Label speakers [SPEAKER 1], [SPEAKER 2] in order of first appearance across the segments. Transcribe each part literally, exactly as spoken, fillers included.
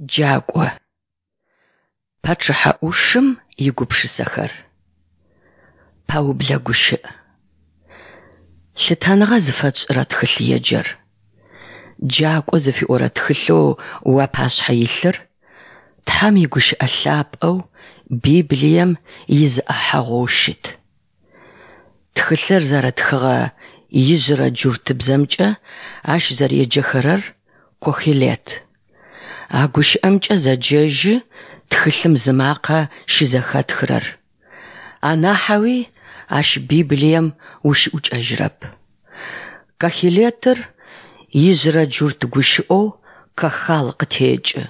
[SPEAKER 1] Джакӏо. Пачъыхьэ ӏушым игупшысэхэр. Пэублэ гущыӏ. Лъытэныгъэ зыфэтшӏырэ тхылъеджэр. Джакӏо зыфиӏорэ тхылъэу уапашъхьэ илъыр Тхьэм игущыӏэ лъапӏэу Библием изы ӏахьэгъоу щыт. Тхылъыр зэрэтхыгъэ ижъырэ джуртыбзэмкӏэ ащ зэреджэхэрэр Кохелет. А гущыӏэмкӏэ зэджэжьы тхылъым зымакъэ щызэхэтхырэр. Анахьэуи ащ Библием ущыӏукӏэжьырэп. Кохелетыр ижъырэ джурт гущыӏэу кахал къытекӏы,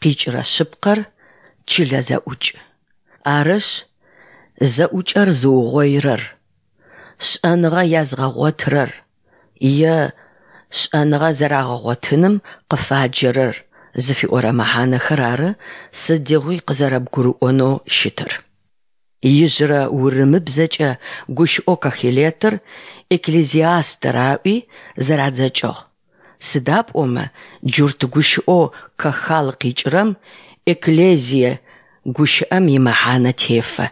[SPEAKER 1] къикӏырэ шъыпкъэр чылэ зэӏукӏ. Арышъ, зэӏукӏэр зыугъоирэр, шӏэныгъэ языгъэгъотырэр е шӏэныгъэ зэрагъэгъотыным къыфаджэрэр зыфиӏорэ мэхьанэхэр ары сыдигъуи къызэрэбгурыӏонэу щытыр. Ижъырэ урымыбзэкӏэ гущыӏэу кохелетыр Экклезиастыр аӏуи зэрадзэкӏыгъ, сыда пӏомэ джурт гущыӏэу кахал къикӏырэм экклезие гущыӏэм имэхьанэ тефэ.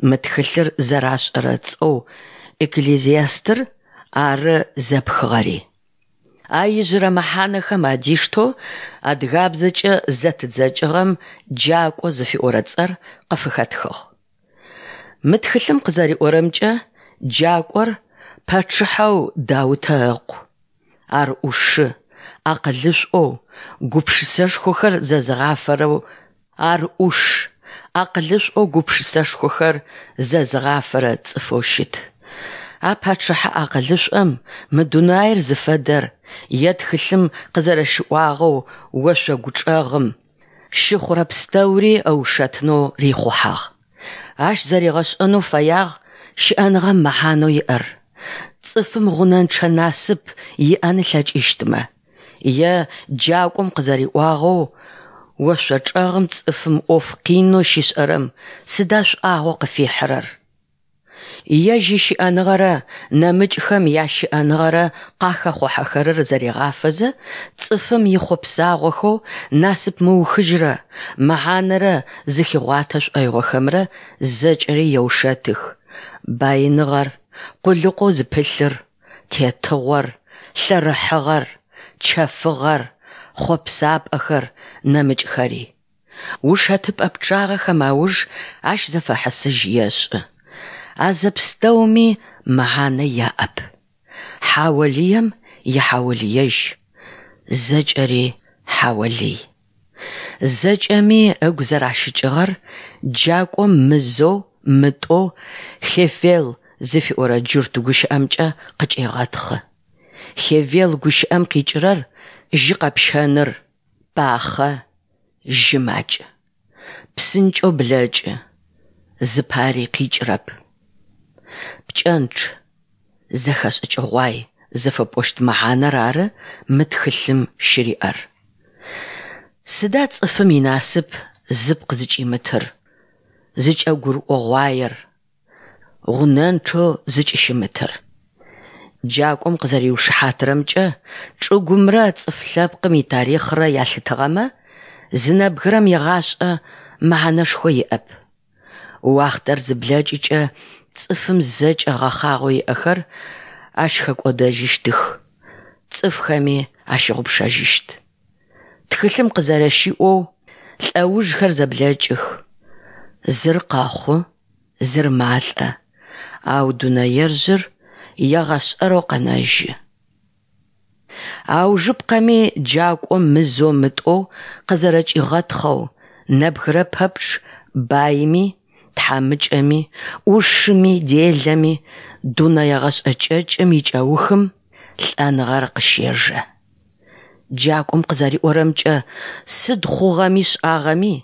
[SPEAKER 1] Мы тхылъыр зэрашӏэрэ цӏэу Экклезиастыр ары зэпхыгъэри. А ижъырэ мэхьанэхэм адиштэу адыгабзэкӏэ зэтыдзэкӏыгъэм Джакӏо зыфиӏорэ цӏэр къыфыхэтхыгъ. Мы тхылъым къызэриӏорэмкӏэ, Джакӏор пачъыхьэу Даутэ ыкъу. Ар ӏушы, акъылышӏоу, гупшысэшхохэр зэзыгъафэрэу Ар ӏуш, акъылышӏоу гупшысэшхохэр зэзыгъафэрэ цӏыфэу щыт. А пачъыхьэ акъылышӏом мы дунаир зыфэдэр е тхылъым къызэрэщыӏуагъэу ошъогу чӏэгъым щыхъурэ пстэури ыушэтынэу рихъухьагъ. Ащ зэригъэшӏэнэу фэягъ щыӏэныгъэм мэхьанэу иӏэр, цӏыфым гъунэнчъэ насып иӏэн ылъэкӏыщтмэ, е джакӏом къызэриӏуагъэу, ошъо чӏэгъым цӏыфым ӏоф къинэу щишӏэрэм сыда шӏуагъэу къыфихьырэр? Ежь ищыӏэныгъэрэ нэмыкӏхэм ящыӏэныгъэрэ къахэхъухьэхэрэр зэригъафэзэ, цӏыфым ихъопсагъохэу насып мыухыжьрэ, мэхьанэрэ зыхигъуатэ шӏоигъохэмрэ зэкӏэри еушэтых: баиныгъэр, къулыкъоу зыпылъыр, тетыгъор, лъэрыхьыгъэр, чэфыгъэр, хъопсапӏэхэр, нэмыкӏхэри. Ушэтыпӏэ пчъагъэхэм ауж ащ зэфэхьысыжь ешӏы. А зэпстэуми мэхьанэ яӏэп. Хьаолыем ихьаолыежь, зэкӏэри хьаолый. Зэкӏэми ыгу зэращыкӏыгъэр джакӏом мызэу, мытӏоу «хевел» зыфиӏорэ джурт гущыӏэмкӏэ къыкӏегъэтхъы. Хевел гущыӏэм къикӏырэр жьы къэпщэныр, пахъэ, жьы макӏ. Псынкӏэу блэкӏы, зыпари къикӏырэп. Пкӏэнчъ, зэхэшӏыкӏыгъуай зыфэпӏощт мэхьанэр ары мы тхылъым щыриӏэр. Сыда цӏыфым инасып зыпкъ зыкӏимытыр, зыкӏэгурыӏогъуаер, гъунэнчъэу зыкӏыщымытыр? Джакӏом къызэриушыхьатырэмкӏэ, чӏыгумрэ цӏыф лъэпкъым итарихърэ ялъытыгъэмэ, зы нэбгырэм игъашӏэ мэхьанэшхо иӏэп. Уахътэр зыблэкӏыкӏэ цӏыфым зэкӏэ гъэхъагъэу иӏэхэр ащ хэкӏодэжьыщтых, цӏыфхэми ащыгъупшэжьыщт. Тхылъым къызэрэщиӏоу, лӏэужхэр зэблэкӏых, зыр къэхъу, зыр малӏэ, ау дунэежъыр егъэшӏэрэу къэнэжьы. Аужыпкъэми джакӏом мызэу-мытӏоу къызэрэкӏигъэтхъэу, нэбгырэ пэпчъ баими, тхьамыкӏэми, ӏушыми, делэми, дунэе гъэшӏэ кӏэкӏым икӏэухым лӏэныгъэр къыщежэ. Джакӏом къызэриӏорэмкӏэ, сыд хъугъэми шӏагъэми,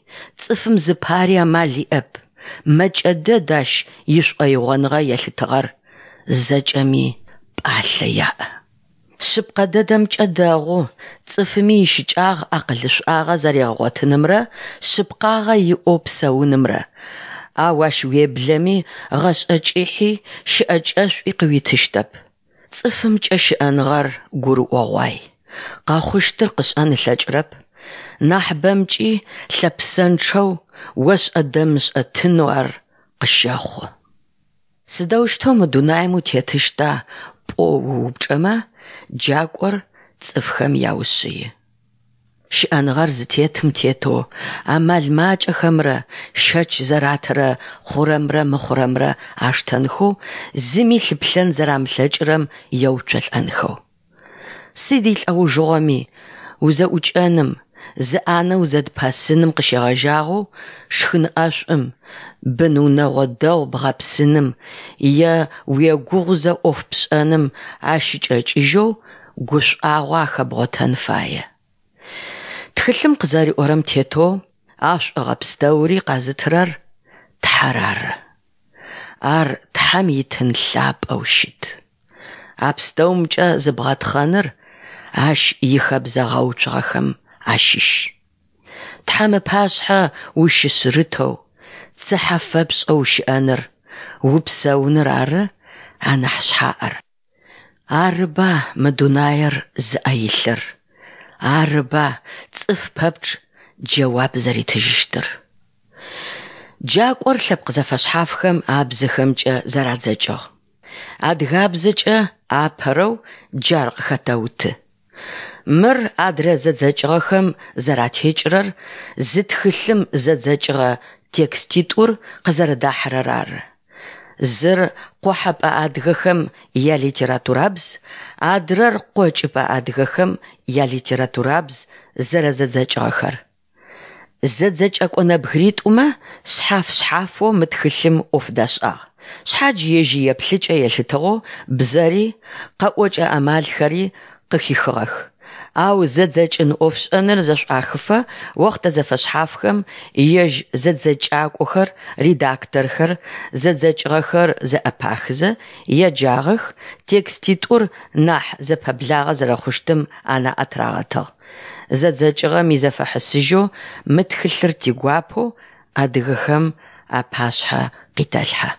[SPEAKER 1] цӏыфым зыпари амал иӏэп, мэкӏэ дэд ащ ишӏоигъоныгъэ елъытыгъэр, зэкӏэми пӏалъэ яӏ. Шъыпкъэ дэдэмкӏэ дэгъу, цӏыфыми ищыкӏагъ акъылышӏуагъэ зэригъэгъотынымрэ шъыпкъагъэ иӏэу псэунымрэ, ау ащ уеблэми гъэшӏэ кӏыхьи щыӏэкӏэшӏуи къыуитыщтэп. Цӏыфымкӏэ щыӏэныгъэр гурыӏогъуай, къэхъущтыр къышӏэн ылъэкӏырэп, Нахьыбэмкӏи лъэпсэнчъэу, ошӏэ-дэмышӏэ тынэу ар къыщэхъу. Сыдэущтэу мы дунаим утетыщта пӏоу уупчӏэмэ, джакӏор цӏыфхэм яушъыи. Щыӏэныгъэр зытетым тетэу, амал макӏэхэмрэ щэч зэратырэ хъурэмрэ мыхъурэмрэ аштэнхэу, зыми лъыплъэн зэрамылъэкӏырэм еуцолӏэнхэу. Сыд илӏэужыгъоми, узэӏукӏэным, зы ӏанэ узэдыпэсыным къыщегъэжьагъэу шхын ӏэшӏум, бын-унэгъо дэгъу бгъэпсыным е уегугъузэ ӏоф пшӏэным ащыкӏэкӏыжьэу гушӏуагъо ахэбгъотэн фае. Тхылъым къызэриӏорэм тетэу, а шӏогъэ пстэури къэзытырэр Тхьэр ары. Ар Тхьэм итын лъапӏэу щыт. А пстэумкӏэ зыбгъэтхъэныр Ащ ихэбзэ гъэуцугъэхэм ащыщ. Тхьэм ыпашъхьэ ущышъырытэу, цыхьэ фэпшӏэу ущыӏэныр, упсэуныр ары анахь шъхьаӏэр. Арыба мы дунаир зыӏэ илъыр, арыба цӏыф пэпчъ джэуап зэритыжьыщтыр. Джакӏор лъэпкъ зэфэшъхьафхэм абзэхэмкӏэ зэрадзэкӏыгъ. Адыгабзэкӏэ апэрэу джар къыхэтэуты. Мыр адрэ зэдзэкӏыгъэхэм зэратекӏырэр зы тхылъым зэдзэкӏыгъэ текститӏур къызэрэдахьэрэр ары. Зыр къохьэпӏэ адыгэхэм ялитературабз, адрэр къокӏыпӏэ адыгэхэм ялитературабз зэрэзэдзэкӏыгъэхэр. Зэдзэкӏэкӏо нэбгыритӏумэ шъхьаф-шъхьафэу мы тхылъым ӏоф дашӏагъ, шъхьадж ежь иеплъыкӏэ елъытыгъэу бзэри, къэӏокӏэ амалхэри къыхихыгъэх, ау зэдзэкӏын ӏофшӏэныр зэшӏуахыфэ охътэ зэфэшъхьафхэм ежь зэдзэкӏакӏохэр, редакторхэр, зэдзэкӏыгъэхэр зэӏэпахызэ еджагъэх, текститӏур нахь зэпэблагъэ зэрэхъущтым анаӏэ тырагъэтыгъ. Зэдзэкӏыгъэм изэфэхьысыжьэу мы тхылъыр тигуапэу адыгэхэм апашъхьэ къитэлъхьэ.